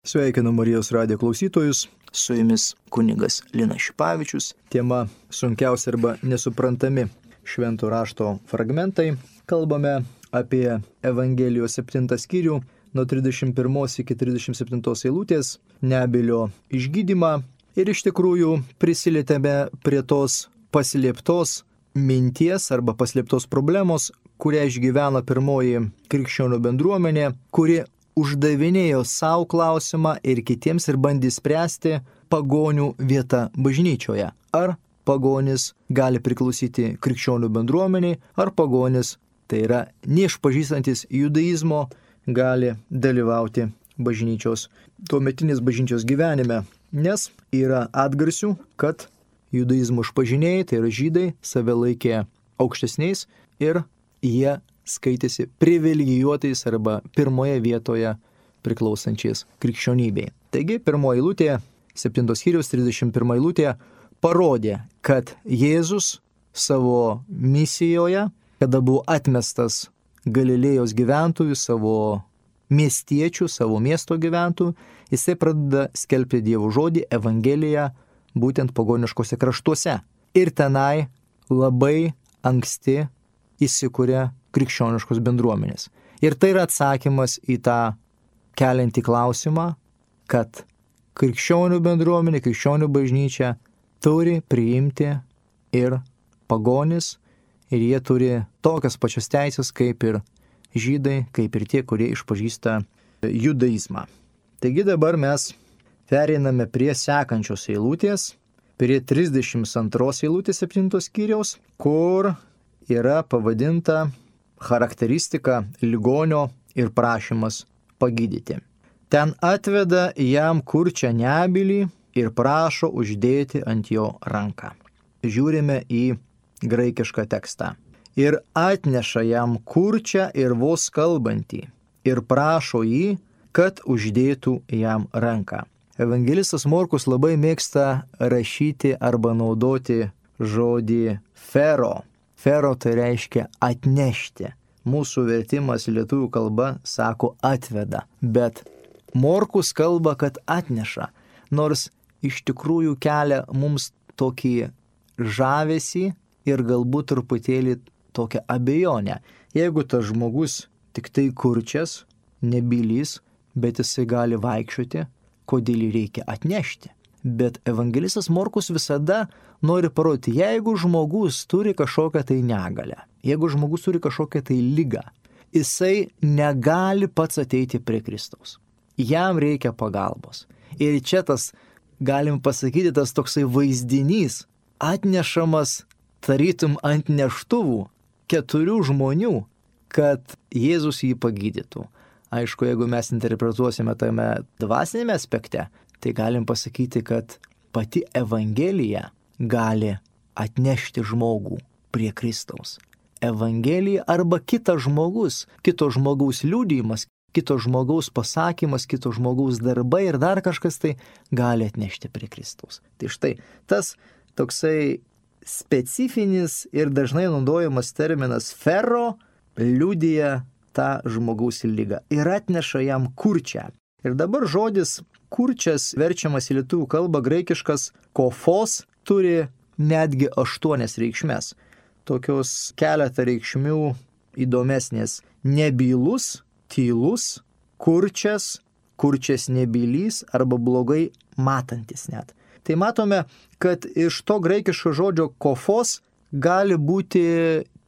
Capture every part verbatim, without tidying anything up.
Sveikinu Marijos radijo klausytojus, su jumis kunigas Linas Šipavičius. Tema sunkiausia arba nesuprantami švento rašto fragmentai. Kalbame apie Evangelijos septintą skyrių nuo trisdešimt pirmos iki trisdešimt septintos eilutės, Nebylio išgydymą ir iš tikrųjų prisilietėme prie tos paslėptos minties arba paslėptos problemos, kurią išgyveno pirmoji krikščionių bendruomenė, kuri uždavinėjo savo klausimą ir kitiems ir bandė spręsti pagonių vietą bažnyčioje. Ar pagonis gali priklausyti krikščionių bendruomeniai, ar pagonis, tai yra neišpažįstantis judaizmo, gali dalyvauti bažnyčios, tuometinės bažnyčios gyvenime. Nes yra atgarsių, kad judaizmo išpažinėjai, tai yra žydai, save laikė aukštesniais ir jie skaitėsi privilegijuotais arba pirmoje vietoje priklausančiais krikščionybei. Taigi, pirmoji eilutė, septintos skyriaus trisdešimt pirma eilutė, parodė, kad Jėzus savo misijoje, kada buvo atmestas Galilėjos gyventojų, savo miestiečių, savo miesto gyventojų, jisai pradeda skelbti Dievo žodį, Evangeliją, būtent pagoniškose kraštuose. Ir tenai labai anksti įsikuria krikščioniškos bendruomenės. Ir tai yra atsakymas į tą keliantį klausimą, kad krikščionių bendruomenė, krikščionių bažnyčia turi priimti ir pagonis, ir jie turi tokias pačias teisės kaip ir žydai, kaip ir tie, kurie išpažįsta judaizmą. Taigi dabar mes pereiname prie sekančios eilutės, prie trisdešimt antros eilutės septintos skyriaus, kur yra pavadinta charakteristika ligonio ir prašymas pagydyti. Ten atveda jam kurčią nebylį ir prašo uždėti ant jo ranką. Žiūrime į graikišką tekstą. Ir atneša jam kurčią ir vos kalbantį ir prašo jį, kad uždėtų jam ranką. Evangelistas Morkus labai mėgsta rašyti arba naudoti žodį fero. Fero tai reiškia atnešti. Mūsų vertimas lietuvių kalba sako atveda, bet Morkus kalba, kad atneša, nors iš tikrųjų kelia mums tokį žavesį ir galbūt truputėlį tokią abejonę. Jeigu tas žmogus tik tai kurčias, nebylys, bet jisai gali vaikščioti, kodėl jį reikia atnešti? Bet evangelistas Morkus visada nori parodyti, jeigu žmogus turi kažkokią tai negalę, jeigu žmogus turi kažkokią tai ligą, jisai negali pats ateiti prie Kristaus. Jam reikia pagalbos. Ir čia tas, galim pasakyti, tas toksai vaizdinys atnešamas tarytum ant neštuvų keturių žmonių, kad Jėzus jį pagydytų. Aišku, jeigu mes interpretuosime tame dvasinėme aspekte, tai galim pasakyti, kad pati Evangelija gali atnešti žmogų prie Kristaus. Evangelija arba kitas žmogus, kito žmogaus liudijimas, kito žmogaus pasakymas, kito žmogaus darbai ir dar kažkas tai gali atnešti prie Kristaus. Tai štai, tas toksai specifinis ir dažnai naudojamas terminas fero liudija tą žmogaus lygą ir atneša jam kurčią. Ir dabar žodis kurčias verčiamas į lietuvių kalbą graikiškas kofos turi netgi aštuonias reikšmes. Tokios keletą reikšmių įdomesnės. Nebylus, tylus, kurčias, kurčias nebylys arba blogai matantis net. Tai matome, kad iš to graikiško žodžio kofos gali būti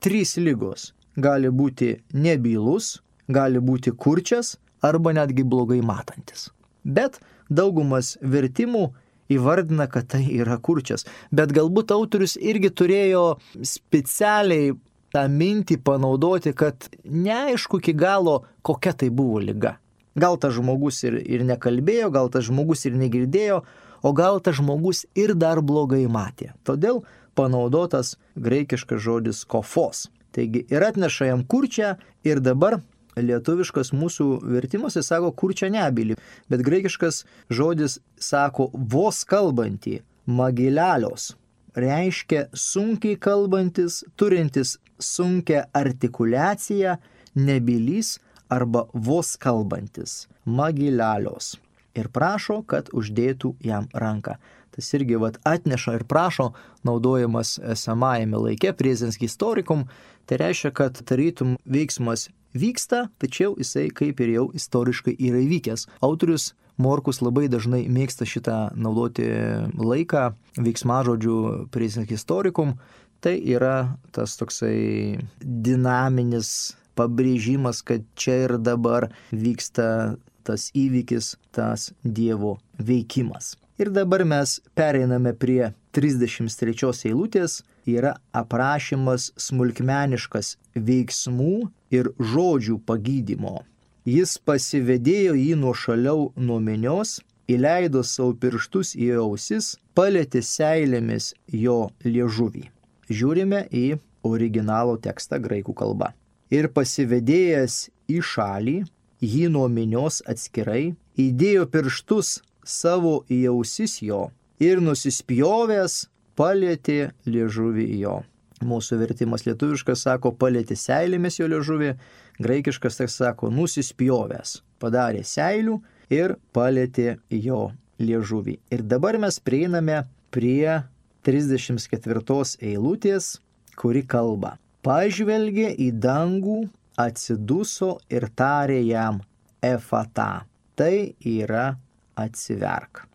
trys ligos. Gali būti nebylus, gali būti kurčias arba netgi blogai matantis. Bet daugumas vertimų įvardina, kad tai yra kurčias. Bet galbūt autorius irgi turėjo specialiai tą mintį panaudoti, kad neaišku iki galo, kokia tai buvo liga. Gal tas žmogus ir, ir nekalbėjo, gal tas žmogus ir negirdėjo, o gal tas žmogus ir dar blogai matė. Todėl panaudotas graikiškas žodis kofos. Taigi ir atneša jam kurčią ir dabar lietuviškas mūsų vertimas sako kurčią nebylį, bet graikiškas žodis sako vos kalbantį, magilelios. Reiškia sunkiai kalbantis, turintis sunkią artikuliaciją, nebylys arba vos kalbantis, magilelios. ir prašo, kad uždėtų jam ranką. Tas irgi vat, atneša ir prašo, naudojamas esamajame laike, presens historikum, tai reiškia, kad tarytum veiksmas vyksta, tačiau jisai kaip ir jau istoriškai yra įvykęs. Autorius Morkus labai dažnai mėgsta šitą naudoti laiką veiksmažodžių presens historikum. Tai yra tas toksai dinaminis pabrėžimas, kad čia ir dabar vyksta tas įvykis, tas Dievo veikimas. Ir dabar mes pereiname prie trisdešimt trečios eilutės, yra aprašymas smulkmeniškas veiksmų ir žodžių pagydymo. Jis pasivedėjo jį nuošaliau nuo minios, įleido savo pirštus į ausis, palietė seilėmis jo liežuvį. Žiūrime į originalo tekstą graikų kalba. Ir pasivedėjęs į šalį, jį nuo minios atskirai, įdėjo pirštus savo į ausis jo ir nusispjovęs palietė liežuvį jo. Mūsų vertimas lietuviškas sako palietė seilėmis jo liežuvį, graikiškas tekstas sako nusispjovęs, padarė seilių ir palietė jo liežuvį. Ir dabar mes prieiname prie trisdešimt ketvirtos eilutės, kuri kalba. Pažvelgė į dangų, atsiduso ir tarė jam efata. Tai yra atsiverk.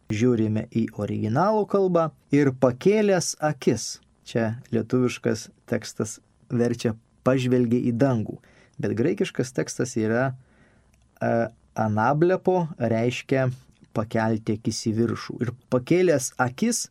Žiūrime į originalų kalbą ir pakėlęs akis. Čia lietuviškas tekstas verčia pažvelgė į dangų, bet graikiškas tekstas yra e, anablepo, reiškia pakelti akis į viršų. Ir pakėlęs akis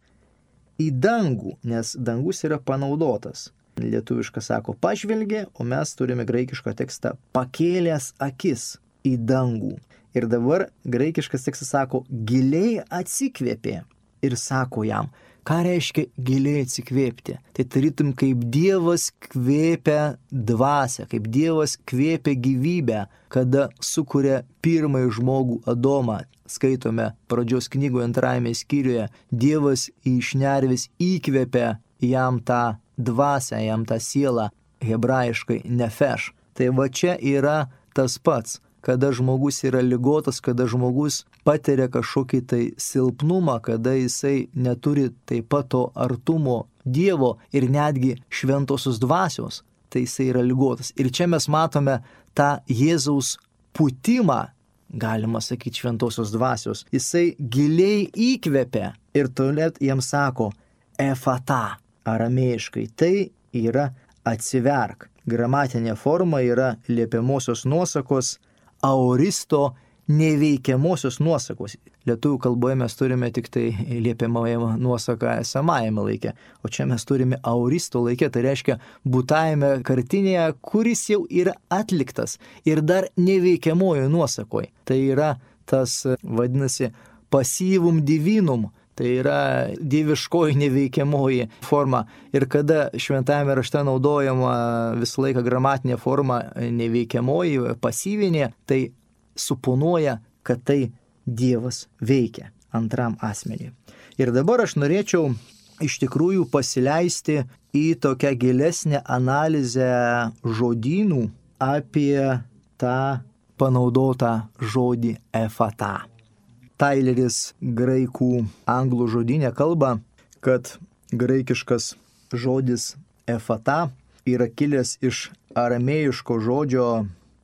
į dangų, nes dangus yra panaudotas. Lietuviškas sako pažvelgė, o mes turime graikišką tekstą pakėlęs akis į dangų. Ir dabar graikiškas tekstas sako giliai atsikvėpė ir sako jam, ką reiškia giliai atsikvėpti. Tai tarytum kaip Dievas kvėpia dvasią, kaip Dievas kvėpia gyvybę, kada sukuria pirmąjį žmogų Adomą. Skaitome pradžios knygoje antrajame skyriuje, Dievas iš šnervės įkvėpia jam tą dvasią, jam tą sielą, hebrajiškai nefeš. Tai va čia yra tas pats, kada žmogus yra ligotas, kada žmogus patiria kažkokį tai silpnumą, kada jisai neturi taip pat to artumo Dievo ir netgi šventosios dvasios, tai jisai yra ligotas. Ir čia mes matome tą Jėzaus putimą, galima sakyti, šventosios dvasios. Jisai giliai įkvepia ir tuomet jam sako efata. Aramėjiškai tai yra atsiverk. Gramatinė forma yra liepiamosios nuosakos, aoristo neveikiamosios nuosakos. Lietuvių kalboje mes turime tik tai liepiamąją nuosaką esamajame laike, o čia mes turime aoristo laike, tai reiškia būtajame kartinėje, kuris jau yra atliktas ir dar neveikiamojo nuosakoje. Tai yra tas, vadinasi, pasyvum divinum. Tai yra dieviškoji neveikiamoji forma. Ir kada šventajame rašte naudojama visą laiką gramatinė forma neveikiamoji, pasyvinė, tai suponuoja, kad tai Dievas veikia antram asmeniui. Ir dabar aš norėčiau iš tikrųjų pasileisti į tokią gilesnę analizę žodynų apie tą panaudotą žodį efata. Taileris graikų anglų žodynė kalba, kad graikiškas žodis efata yra kilęs iš aramėjiško žodžio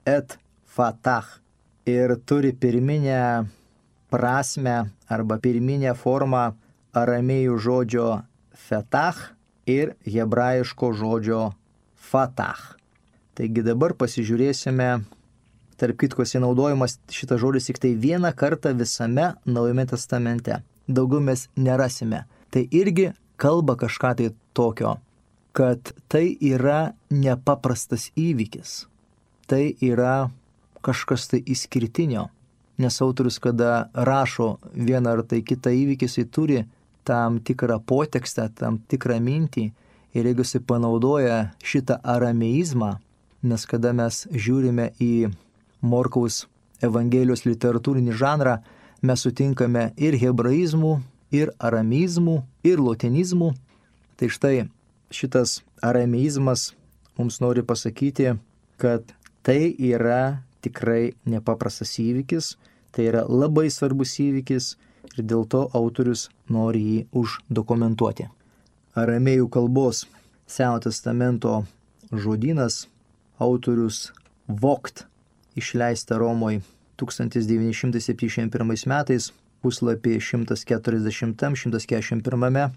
et fatah ir turi pirminę prasme arba pirminę formą aramėjų žodžio fetah ir hebrajiško žodžio fatah. Taigi dabar pasižiūrėsime. Tarp kitko, naudojamas šitas žodis tik tai vieną kartą visame Naujame testamente. Daugiau mes nerasime. Tai irgi kalba kažką tai tokio, kad tai yra nepaprastas įvykis. Tai yra kažkas tai išskirtinio. Nes autorius, kada rašo vieną ar tai kitą įvykį, jis turi tam tikrą potekstą, tam tikrą mintį. Ir jeigu jis panaudoja šitą arameizmą, nes kada mes žiūrime į Morkaus Evangelijos literatūrinį žanrą, mes sutinkame ir hebraizmų, ir aramizmų, ir lotinizmų. Tai štai šitas arameizmas mums nori pasakyti, kad tai yra tikrai nepaprastas įvykis, Tai yra labai svarbus įvykis ir dėl to autorius nori jį uždokumentuoti. Aramėjų kalbos Senojo testamento žodynas autorius Vogt išleista Romoje tūkstantis devyni šimtai septyniasdešimt pirmais metais, puslapį šimtas keturiasdešimt šimtas keturiasdešimt pirmame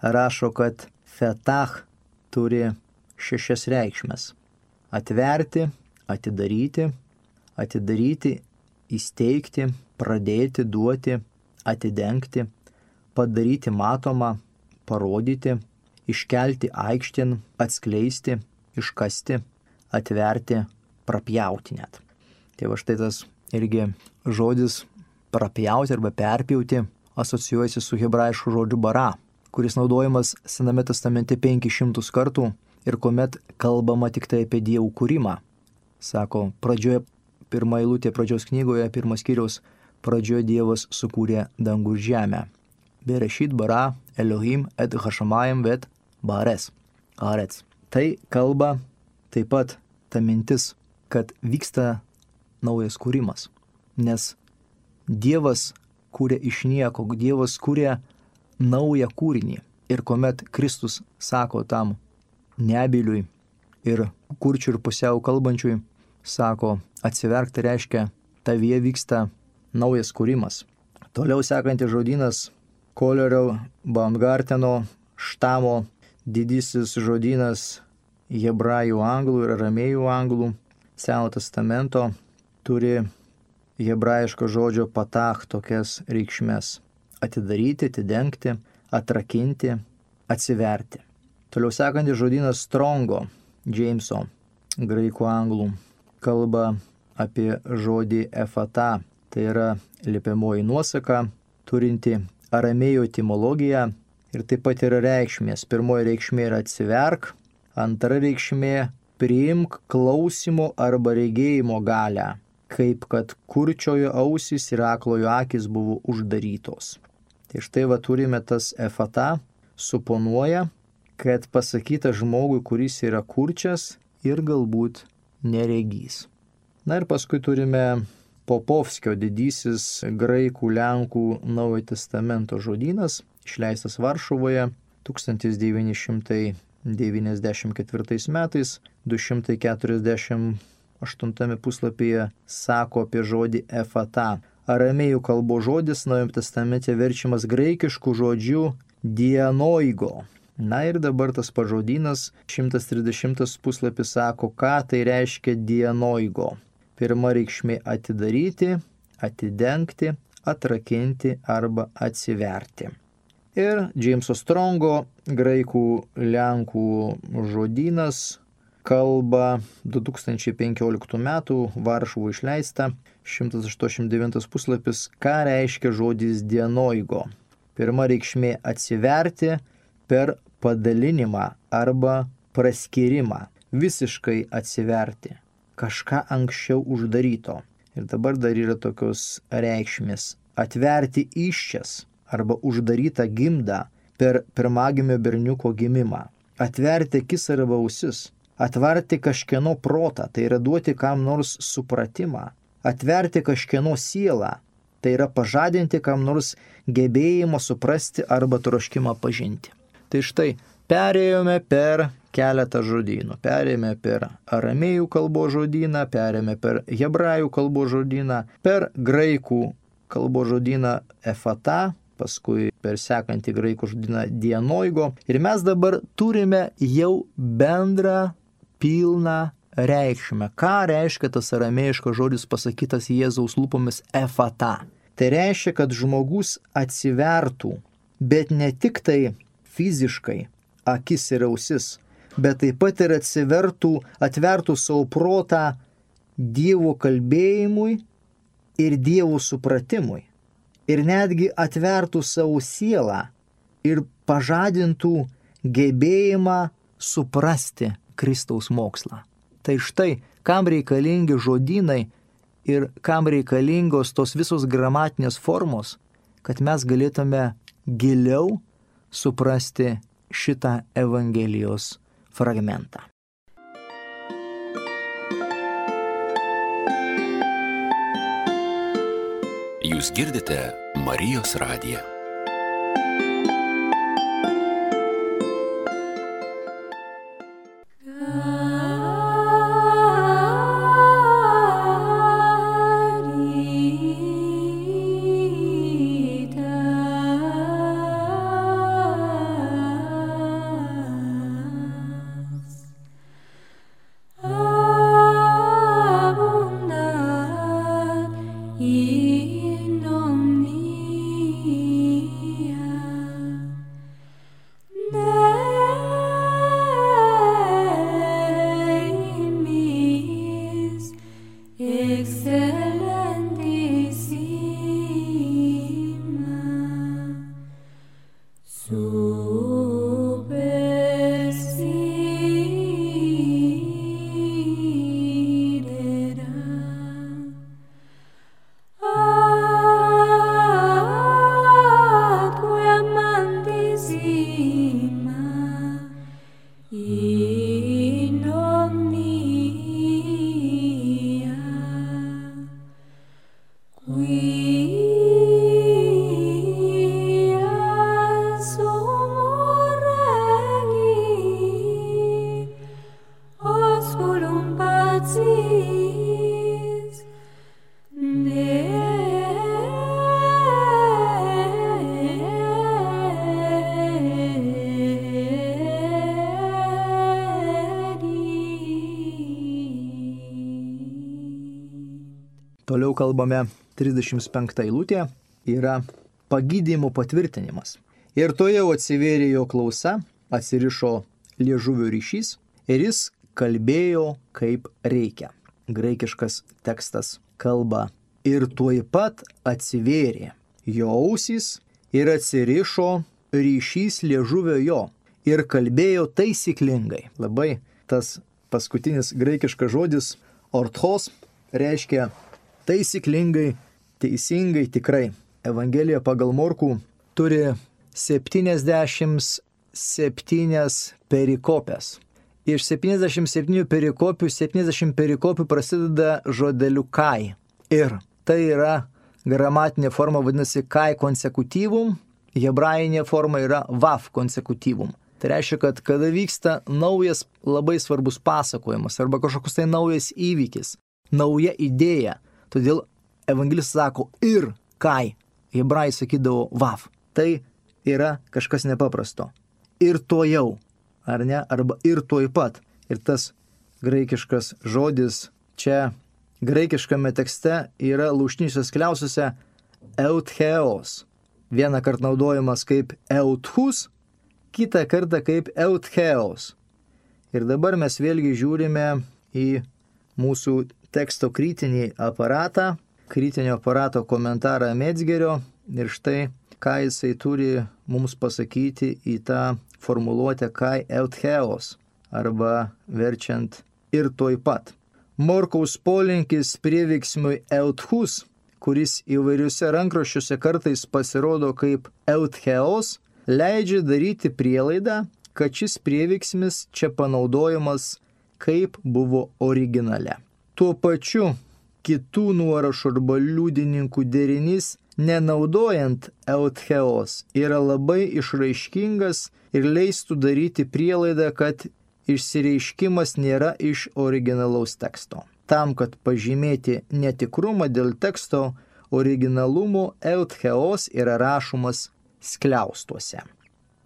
rašo, kad fetach turi šešias reikšmes. Atverti, atidaryti, atidaryti, įsteigti, pradėti, duoti, atidengti, padaryti matomą, parodyti, iškelti aikštėn, atskleisti, iškasti, atverti, prapjauti net. Tai va štai tas irgi žodis prapjauti arba perpjauti asocijuojasi su hebrajišku žodžiu bara, kuris naudojamas Sename testamente penkis šimtus kartų ir kuomet kalbama tik tai apie dievų kūrimą. Sako, pradžioje, pirma eilutė pradžios knygoje, pirmas skyriaus, pradžioje Dievas sukūrė dangų ir žemę. Berešit bara Elohim et hashamayim vet bares. Arets. Tai kalba taip pat ta mintis, kad vyksta naujas kūrimas. Nes Dievas kūrė iš nieko, Dievas kūrė naują kūrinį. Ir kuomet Kristus sako tam nebyliui ir kurčiui ir pusiau kalbančiui, sako, atsiverk, tai reiškia, tavyje vyksta naujas kūrimas. Toliau sekantis žodynas Kolerio Baumgarteno štamo didysis žodynas hebrajų anglų ir aramėjų anglų Senojo testamento turi hebrajiško žodžio patach tokias reikšmes: atidaryti, atidengti, atrakinti, atsiverti. Toliau sekantis žodynas Strongo, Jameso, graikų anglų, kalba apie žodį efata. Tai yra liepiamoji nuosaka, turinti aramėjų etimologiją ir taip pat yra reikšmės. Pirmoji reikšmė yra atsiverk, antra reikšmė priimk klausimo arba regėjimo galią, kaip kad kurčiojo ausys ir aklojo akis buvo uždarytos. Tai štai va turime tas efata, suponuoja, kad pasakyta žmogui, kuris yra kurčias ir galbūt neregys. Na ir paskui turime Popovskio didysis graikų lenkų Naujojo testamento žodynas, išleistas Varšuvoje tūkstantis devyni šimtai devyniasdešimt ketvirtais metais, du šimtai keturiasdešimt aštuntame puslapyje sako apie žodį efata. Aramėjų kalbos žodis Naujajame testamente verčiamas graikišku žodžiu dienoigo. Na ir dabar tas pažodynas, šimtas trisdešimtas puslapis sako, ką tai reiškia dienoigo. Pirma reikšmė atidaryti, atidengti, atrakinti arba atsiverti. Ir Jameso Strongo graikų lenkų žodynas kalba du tūkstančiai penkioliktų metų Varšuvų išleista, šimtas aštuoniasdešimt devintas puslapis, ką reiškia žodis dienoigo. Pirma reikšmė atsiverti per padalinimą arba praskyrimą, visiškai atsiverti, kažką anksčiau uždaryto. Ir dabar dar yra tokios reikšmės: atverti įsčias arba uždarytą gimdą per pirmagimio berniuko gimimą, atverti akis arba ausis, atverti kažkieno protą, tai yra duoti kam nors supratimą, atverti kažkieno sielą, tai yra pažadinti kam nors gebėjimą suprasti arba troškimą pažinti. Tai štai, perėjome per keletą žodynų. Perėjome per aramėjų kalbos žodyną, perėjome per hebrajų kalbos žodyną, per graikų kalbos žodyną efata, paskui per sekantį graikų žodyną dienoigo. Ir mes dabar turime jau bendrą pilną reikšmę. Ką reiškia tas aramėjiškas žodis pasakytas Jėzaus lūpomis efata? Tai reiškia, kad žmogus atsivertų, bet ne tik tai fiziškai akis ir ausis, bet taip pat ir atsivertų, atvertų savo protą Dievo kalbėjimui ir Dievo supratimui. Ir netgi atvertų savo sielą ir pažadintų gebėjimą suprasti Kristaus mokslą. Tai štai, kam reikalingi žodynai ir kam reikalingos tos visos gramatinės formos, kad mes galėtume giliau suprasti šitą Evangelijos fragmentą. girdite Marijos radiją. Toliau kalbame trisdešimt penkta eilutė, yra pagydymo patvirtinimas. Ir to jau atsivėrė jo klausa, atsirišo liežuvio ryšys ir jis kalbėjo kaip reikia. Graikiškas tekstas kalba ir tuoj pat atsivėrė jo ausys ir atsirišo ryšys liežuvio jo ir kalbėjo taisyklingai. Labai tas paskutinis graikiškas žodis orthos reiškia taisyklingai, teisingai, tikrai. Evangelija pagal Morkų turi septyniasdešimt septynias perikopes. Iš septyniasdešimt septynių perikopių, septyniasdešimt perikopių prasideda žodeliu kai. Ir tai yra gramatinė forma, vadinasi kai konsekutyvum, hebrajinė forma yra vav konsekutyvum. Tai reiškia, kad kada vyksta naujas labai svarbus pasakojimas arba kažkoks tai naujas įvykis, nauja idėja, todėl evangelistas sako ir kai, hebrajai sakydavo vav. Tai yra kažkas nepaprasto. Ir to jau, ar ne, arba ir tuoj pat. Ir tas graikiškas žodis čia graikiškame tekste yra lūšniniuose skliausuose eutheos. Vieną kartą naudojamas kaip euthus, kitą kartą kaip eutheos. Ir dabar mes vėlgi žiūrime į mūsų teksto kritinį aparatą, kritinio aparato komentarą Metzgerio ir štai, ką jisai turi mums pasakyti į tą formuluotę kai eutheos arba verčiant ir tuoj pat. Morkaus polinkis prieveiksmiui euthus, kuris įvairiuose rankraščiuose kartais pasirodo kaip eutheos, leidžia daryti prielaidą, kad šis prieveiksmis čia panaudojamas kaip buvo originale. Tuo pačiu kitų nuorašų arba liudininkų derinys, nenaudojant eutheos, yra labai išraiškingas ir leistų daryti prielaidą, kad išsireiškimas nėra iš originalaus teksto. Tam, kad pažymėti netikrumą dėl teksto originalumo, eutheos yra rašomas skliaustuose.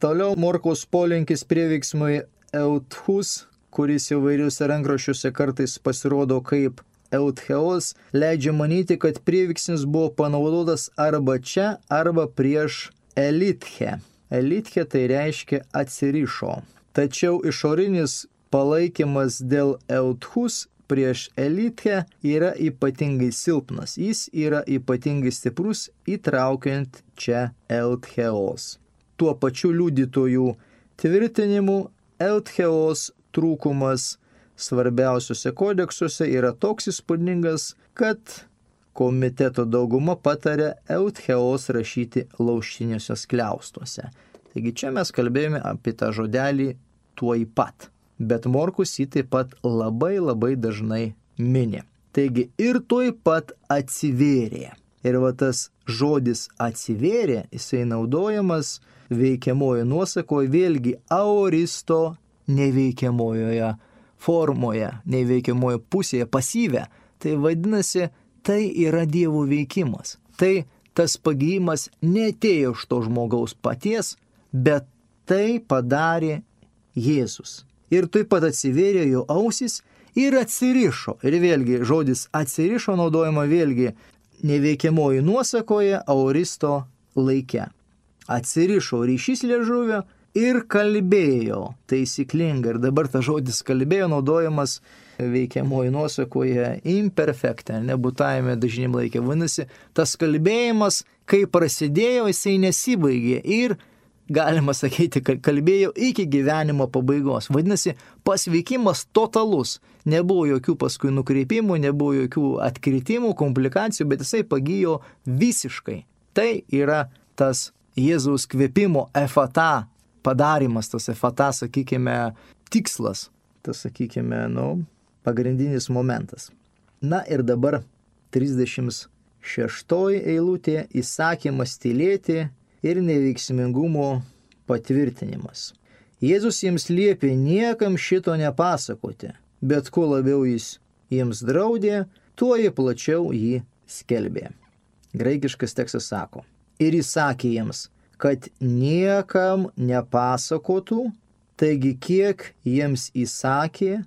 Toliau Morkaus polinkis prieveiksmui euthus, kuris įvairiuose rankraščiuose kartais pasirodo kaip eutheos, leidžia manyti, kad prieveiksmis buvo panaudotas arba čia, arba prieš elitche. Elitche tai reiškia atsirišo. Tačiau išorinis palaikymas dėl euthus prieš elitche yra ypatingai silpnas. Jis yra ypatingai stiprus, įtraukiant čia eutheos. Tuo pačiu liudytojų tvirtinimu eutheos trūkumas svarbiausiuose kodeksuose yra toks įspūdingas, kad komiteto dauguma patarė eutheos rašyti lauštiniuose skliaustuose. Taigi čia mes kalbėjome apie tą žodelį tuoj pat. Bet Morkus jį taip pat labai labai dažnai mini. Taigi ir tuoj pat atsivėrė. Ir va tas žodis atsivėrė, jisai naudojamas veikiamojo nuosakoje, vėlgi aoristo neveikiamojoje formoje, neveikiamojo pusėje, pasyvę. Tai vadinasi, tai yra Dievo veikimas. Tai tas pagijimas neatėjo iš to žmogaus paties, bet tai padarė Jėzus. Ir taip pat atsivėrė jo ausis ir atsirišo. Ir vėlgi žodis atsirišo naudojama vėlgi neveikiamoji nuosakoje, aoristo laike. Atsirišo ryšys liežuvio ir kalbėjo taisyklingai. Ir dabar tas žodis kalbėjo naudojamas veikiamoji nuosakoje imperfekte, nebūtajame dažnim laikė. Vadinasi, tas kalbėjimas, kai prasidėjo, jisai nesibaigė ir galima sakyti, kad kalbėjo iki gyvenimo pabaigos. Vadinasi, pasveikimas totalus. Nebuvo jokių paskui nukreipimų, nebuvo jokių atkritimų, komplikacijų, bet jisai pagijo visiškai. Tai yra tas Jėzaus kvėpimo efata padarimas, tas efata, sakykime, tikslas. Tas, sakykime, nu, pagrindinis momentas. Na ir dabar trisdešimt šeštoji eilutė – įsakymas tylėti ir neveiksmingumo patvirtinimas. Jėzus jiems liepė niekam šito nepasakoti, bet kuo labiau jis jiems draudė, tuo jie plačiau jį skelbė. Graikiškas tekstas sako: ir įsakė jiems, kad niekam nepasakotų, taigi kiek jiems įsakė,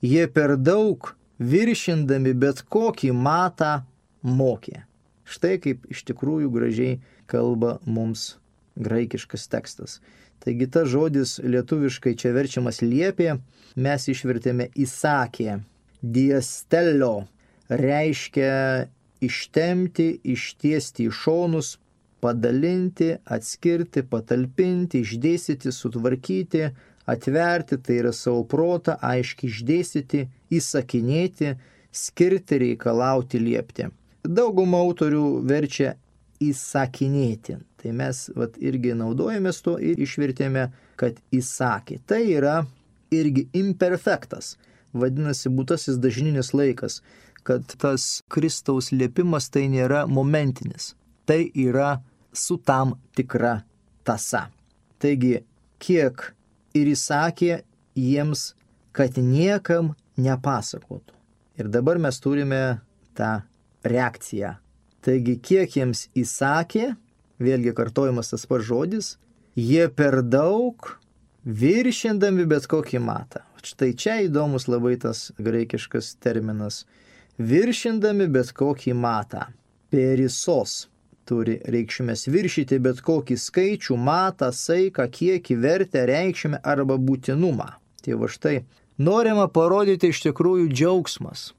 jie per daug viršindami bet kokį matą mokė. Štai kaip iš tikrųjų gražiai kalba mums graikiškas tekstas. Taigi tas žodis lietuviškai čia verčiamas liepė, mes išvertėme įsakė. Diestelio reiškia ištemti, ištiesti į šonus, padalinti, atskirti, patalpinti, išdėstyti, sutvarkyti, atverti, tai yra savo protą, aiškiai išdėstyti, įsakinėti, skirti, reikalauti, liepti. Dauguma autorių verčia įsakinėti. Tai mes vat, irgi naudojamės to ir išvertėme, kad įsakė. Tai yra irgi imperfektas, vadinasi būtasis dažninis laikas, kad tas Kristaus liepimas tai nėra momentinis, tai yra su tam tikra tąsa. Taigi, kiek ir įsakė jiems, kad niekam nepasakotų. Ir dabar mes turime tą reakciją. Taigi, kiek jiems įsakė, vėlgi kartojamas tas pats žodis, jie per daug viršindami bet kokį matą. Štai čia įdomus labai tas graikiškas terminas. Viršindami bet kokį matą. Perisos turi reikšmės viršyti bet kokį skaičių, matą, saiką, kiekį, vertę, reikšmę arba būtinumą. Tai va štai norima parodyti iš tikrųjų džiaugsmas.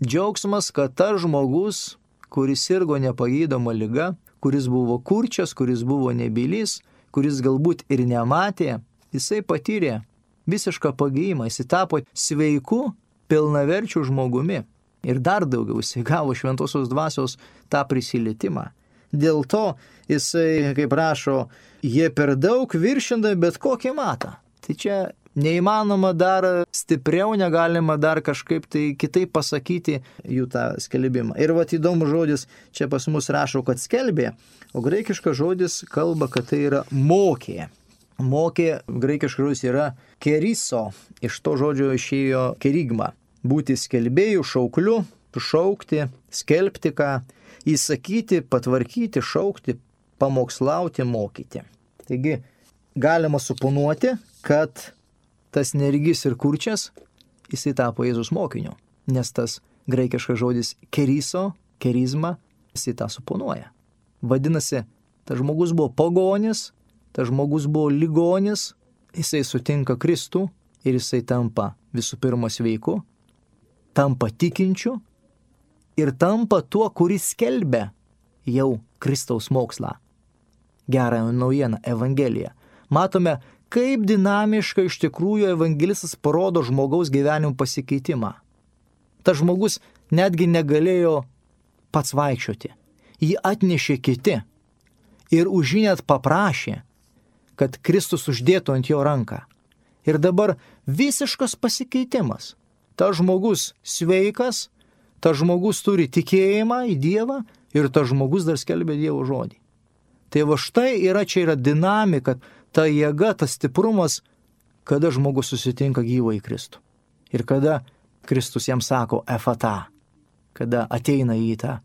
Džiaugsmas, kad tas žmogus, kuris sirgo nepagydoma liga, kuris buvo kurčias, kuris buvo nebylys, kuris galbūt ir nematė, jisai patyrė visišką pagijimą, jisai tapo sveiku, pilnaverčiu žmogumi. Ir dar daugiau, jisai gavo šventosios dvasios tą prisilietimą. Dėl to jisai, kaip rašo, jie per daug viršindami bet kokį matą. Tai čia neįmanoma dar stipriau, negalima dar kažkaip tai kitaip pasakyti jų tą skelbimą. Ir vat įdomus žodis, čia pas mus rašo, kad skelbė, o graikiškas žodis kalba, kad tai yra mokė. Mokė, graikiškas žodis yra keriso, iš to žodžio išėjo kerigma. Būti skelbėjų, šaukliu, šaukti, skelbti ką, įsakyti, patvarkyti, šaukti, pamokslauti, mokyti. Taigi, galima suponuoti, kad tas neregys ir kurčias, jisai tapo Jėzus mokiniu, nes tas graikiškas žodis keriso, kerizma, jisai tą suponuoja. Vadinasi, tas žmogus buvo pagonis, tas žmogus buvo ligonis, jisai sutinka Kristų ir jisai tampa visų pirma sveiku, tampa tikinčiu ir tampa tuo, kuris skelbia jau Kristaus mokslą. Gerąją naujieną, Evangeliją. Matome, kaip dinamiškai iš tikrųjų evangelistas parodo žmogaus gyvenimo pasikeitimą. Tas žmogus netgi negalėjo pats vaikščioti. Jį atnešė kiti ir už jį net paprašė, kad Kristus uždėtų ant jo ranką. Ir dabar visiškas pasikeitimas. Tas žmogus sveikas, tas žmogus turi tikėjimą į Dievą, ir tas žmogus dar skelbia Dievo žodį. Tai va štai yra, čia yra dinamika, ta jėga, tas stiprumas, kada žmogus susitinka gyvą į Kristų. Ir kada Kristus jam sako efata, kada ateina į tą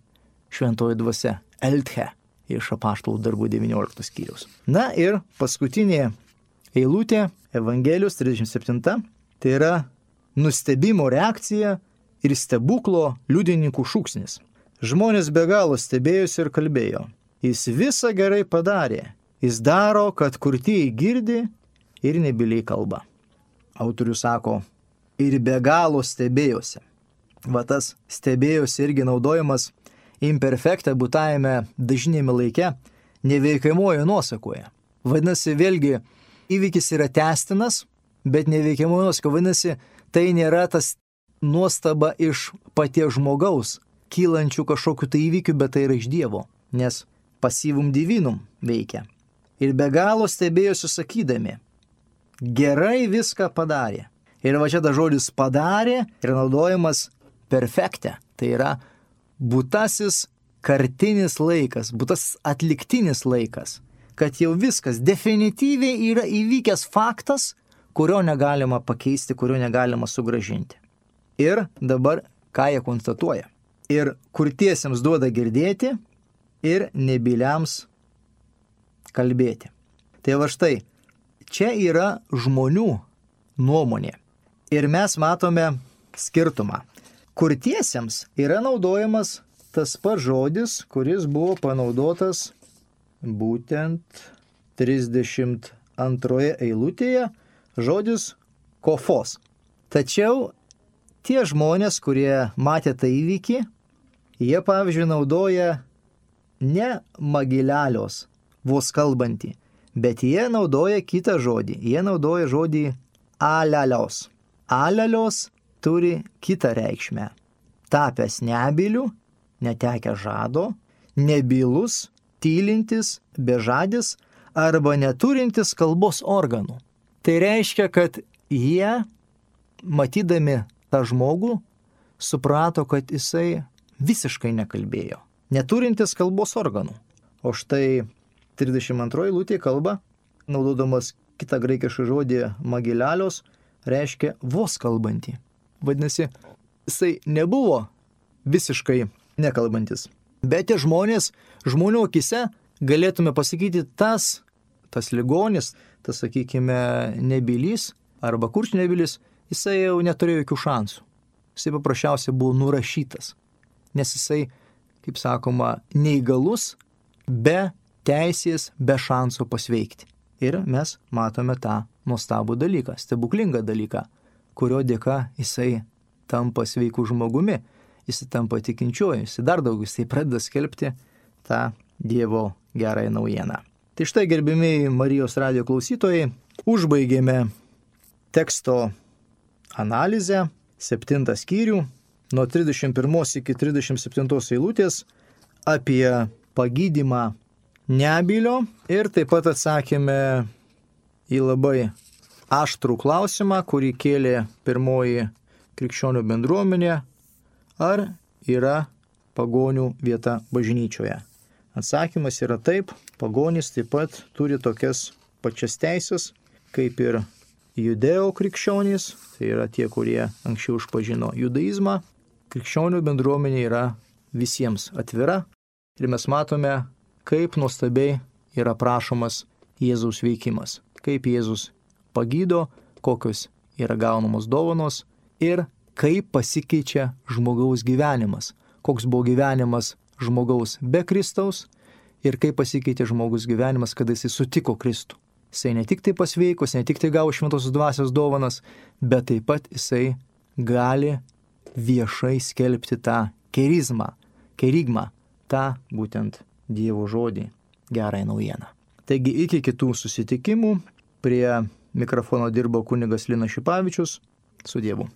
šventoji dvasia, elthe, iš Apaštalų darbų devynioliktos skyriaus. Na ir paskutinė eilutė, Evangelijos trisdešimt septinta, tai yra nustebimo reakcija ir stebuklo liudininkų šūksnis. Žmonės be galo stebėjosi ir kalbėjo. Jis visą gerai padarė. Jis daro, kad kurtieji girdi ir nebyliai kalba. Autorius sako, ir be galo stebėjosi. Va tas stebėjosi irgi naudojamas imperfekte būtajame dažnėme laike neveikiamojo nuosakoje. Vadinasi, vėlgi, įvykis yra tęstinas, bet neveikiamojo nuosako. Vadinasi, tai nėra tas nuostaba iš paties žmogaus, kylančių kažkokių tai įvykių, bet tai yra iš Dievo, nes pasyvum divinum veikia. Ir be galo stebėjosi sakydami, gerai viską padarė. Ir va čia tas žodis padarė yra naudojamas perfekte. Tai yra būtasis kartinis laikas, būtasis atliktinis laikas, kad jau viskas definityviai yra įvykęs faktas, kurio negalima pakeisti, kurio negalima sugrąžinti. Ir dabar ką jie konstatuoja? Ir kurtiesiems duoda girdėti ir nebyliams kalbėti. Tai va štai, čia yra žmonių nuomonė. Ir mes matome skirtumą. Kurtiesiems yra naudojamas tas pats žodis, kuris buvo panaudotas būtent trisdešimt antroje eilutėje, žodis kofos. Tačiau tie žmonės, kurie matė tą įvykį, jie, pavyzdžiui, naudoja ne magilelios, vos kalbantį, bet jie naudoja kitą žodį. Jie naudoja žodį alelios. Alelios turi kitą reikšmę. Tapęs nebyliu, netekęs žado, nebylus, tylintis, bežadis arba neturintis kalbos organų. Tai reiškia, kad jie, matydami tą žmogų, suprato, kad jisai visiškai nekalbėjo, neturintis kalbos organų. O štai trisdešimt antroji eilutė kalba, naudodamas kitą graikišką žodį magilelios, reiškia vos kalbantį. Vadinasi, jisai nebuvo visiškai nekalbantis. Bet tie žmonės, žmonių akise galėtume pasakyti, tas, tas ligonis, tas, sakykime, nebylys arba kurčnebylis, jisai jau neturėjo jokių šansų. Jisai paprasčiausiai buvo nurašytas, nes jisai, kaip sakoma, neįgalus, be teisės, be šansų pasveikti. Ir mes matome tą nuostabų dalyką, stebuklingą dalyką, kurio dėka jisai tampa sveikų žmogumi, jisai tampa tikinčiuoju, jisai dar daugiau, jisai pradeda skelbti tą Dievo gerąją naujieną. Tai štai, gerbimieji Marijos radijo klausytojai, užbaigėme teksto analizę, septintą skyrių, nuo trisdešimt pirmos iki trisdešimt septintos eilutės apie pagydymą nebylio ir taip pat atsakėme į labai aštrų klausimą, kurį kėlė pirmoji krikščionių bendruomenė, ar yra pagonių vieta bažnyčioje. Atsakymas yra taip, pagonys taip pat turi tokias pačias teisės, kaip ir judėjo krikščionys, tai yra tie, kurie anksčiau išpažino judaizmą. Krikščionių bendruomenė yra visiems atvira ir mes matome, kaip nuostabiai yra prašomas Jėzaus veikimas, kaip Jėzus pagydo, kokios yra gaunamos dovanos ir kaip pasikeičia žmogaus gyvenimas, koks buvo gyvenimas žmogaus be Kristaus ir kaip pasikeitė žmogus gyvenimas, kada jisai sutiko Kristų. Jisai ne tik tai pasveikos, ne tik tai gavo šventosios dvasios dovanas, bet taip pat jisai gali viešai skelbti tą kerizmą, kerigmą, tą būtent Dievo žodį, gerąją naujieną. Taigi iki kitų susitikimų, prie mikrofono dirbo kunigas Linas Šipavičius, su Dievu.